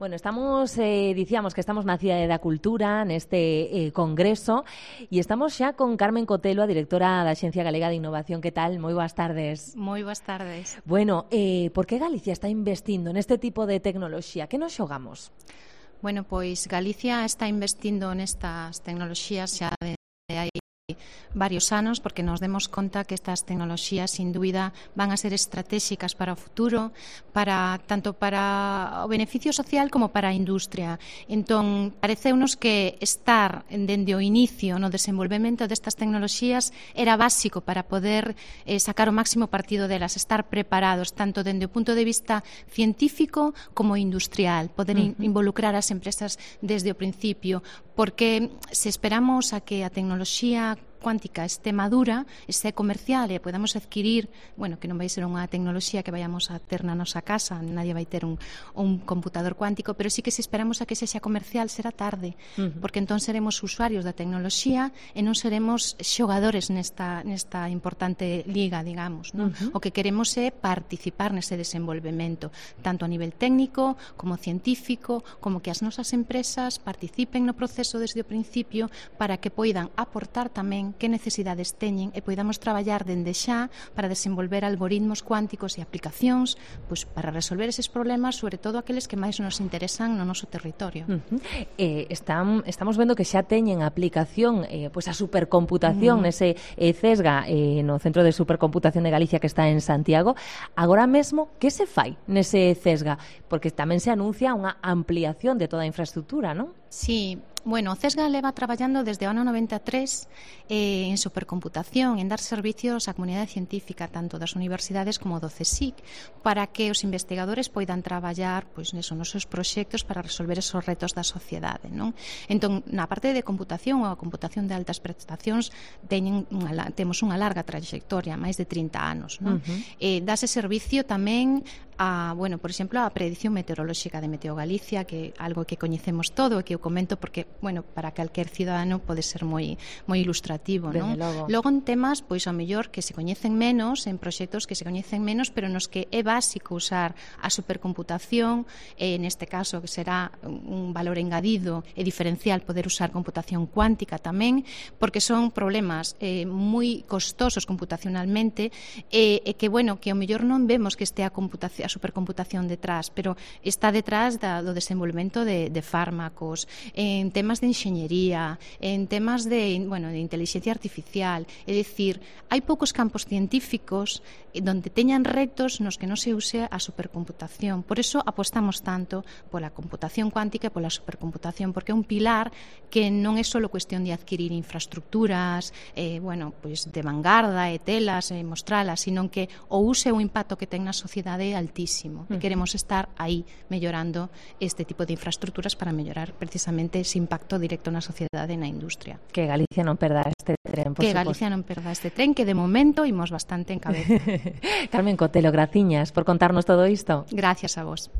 Bueno, dicíamos que estamos na Cidade da Cultura, neste congreso, e estamos xa con Carmen Cotelo, a directora da Axencia Galega de Innovación. Que tal? Moi boas tardes. Moi boas tardes. Bueno, por que Galicia está investindo neste tipo de tecnoloxía? Que nos xogamos? Bueno, pois Galicia está investindo nestas tecnoloxías xa de hai varios anos, porque nos demos conta que estas tecnoloxías, sin dúbida, van a ser estratégicas para o futuro, tanto para o beneficio social como para a industria. Entón, pareceunos que estar dende o inicio no desenvolvemento destas tecnoloxías era básico para poder sacar o máximo partido delas, estar preparados, tanto dende o punto de vista científico como industrial, poder involucrar as empresas desde o principio, porque se esperamos a que a tecnoloxía cuántica este madura, este comercial e podamos adquirir, bueno, que non vai ser unha tecnoloxía que vayamos a ter na nosa casa, nadie vai ter un computador cuántico, pero sí que se esperamos a que sexa comercial será tarde, porque entón seremos usuarios da tecnoloxía e non seremos xogadores nesta importante liga, digamos, non? O que queremos é participar nese desenvolvemento, tanto a nivel técnico como científico, como que as nosas empresas participen no proceso desde o principio para que poidan aportar tamén que necesidades teñen e poidamos traballar dende xa para desenvolver algoritmos cuánticos e aplicacións pois, para resolver eses problemas, sobre todo aqueles que máis nos interesan no noso territorio. Estamos vendo que xa teñen aplicación pois a supercomputación nese CESGA, no Centro de Supercomputación de Galicia que está en Santiago. Agora mesmo, que se fai nese CESGA? Porque tamén se anuncia unha ampliación de toda a infraestructura, non? Sí, bueno, o CESGA leva traballando desde o ano 93 en supercomputación, en dar servicios á comunidade científica, tanto das universidades como do CSIC, para que os investigadores poidan traballar pois, nos seus proxectos para resolver esos retos da sociedade, non? Entón, na parte de computación ou a computación de altas prestacións temos unha larga trayectoria, máis de 30 anos, non? Dase servicio tamén a, bueno, por exemplo, a predicción meteorolóxica de Meteo Galicia, que é algo que coñecemos todo e que eu comento porque, bueno, para calquer cidadano pode ser moi ilustrativo, non? Logo en temas, pois ao mellor que se coñecen menos, en proxectos que se coñecen menos, pero nos que é básico usar a supercomputación, neste caso que será un valor engadido e diferencial poder usar computación cuántica tamén, porque son problemas moi costosos computacionalmente e que, bueno, que ao mellor non vemos que este a supercomputación detrás, pero está detrás do desenvolvemento de fármacos, en temas de enxeñería, en temas de inteligencia artificial. É dicir, hai poucos campos científicos donde teñan retos nos que non se use a supercomputación. Por eso apostamos tanto pola computación cuántica e pola supercomputación, porque é un pilar que non é só cuestión de adquirir infraestructuras, pois de vanguarda e telas, mostralas, sino que o use e o impacto que ten na sociedade é altísimo. E queremos estar aí mellorando este tipo de infraestructuras para mellorar precisamente ese impacto directo na sociedade e na industria. Que Galicia non perda este tren, por suposto. Galicia non perda este tren, que de momento imos bastante en cabeza. Carmen Cotelo, graciñas por contarnos todo isto. Gracias a vos.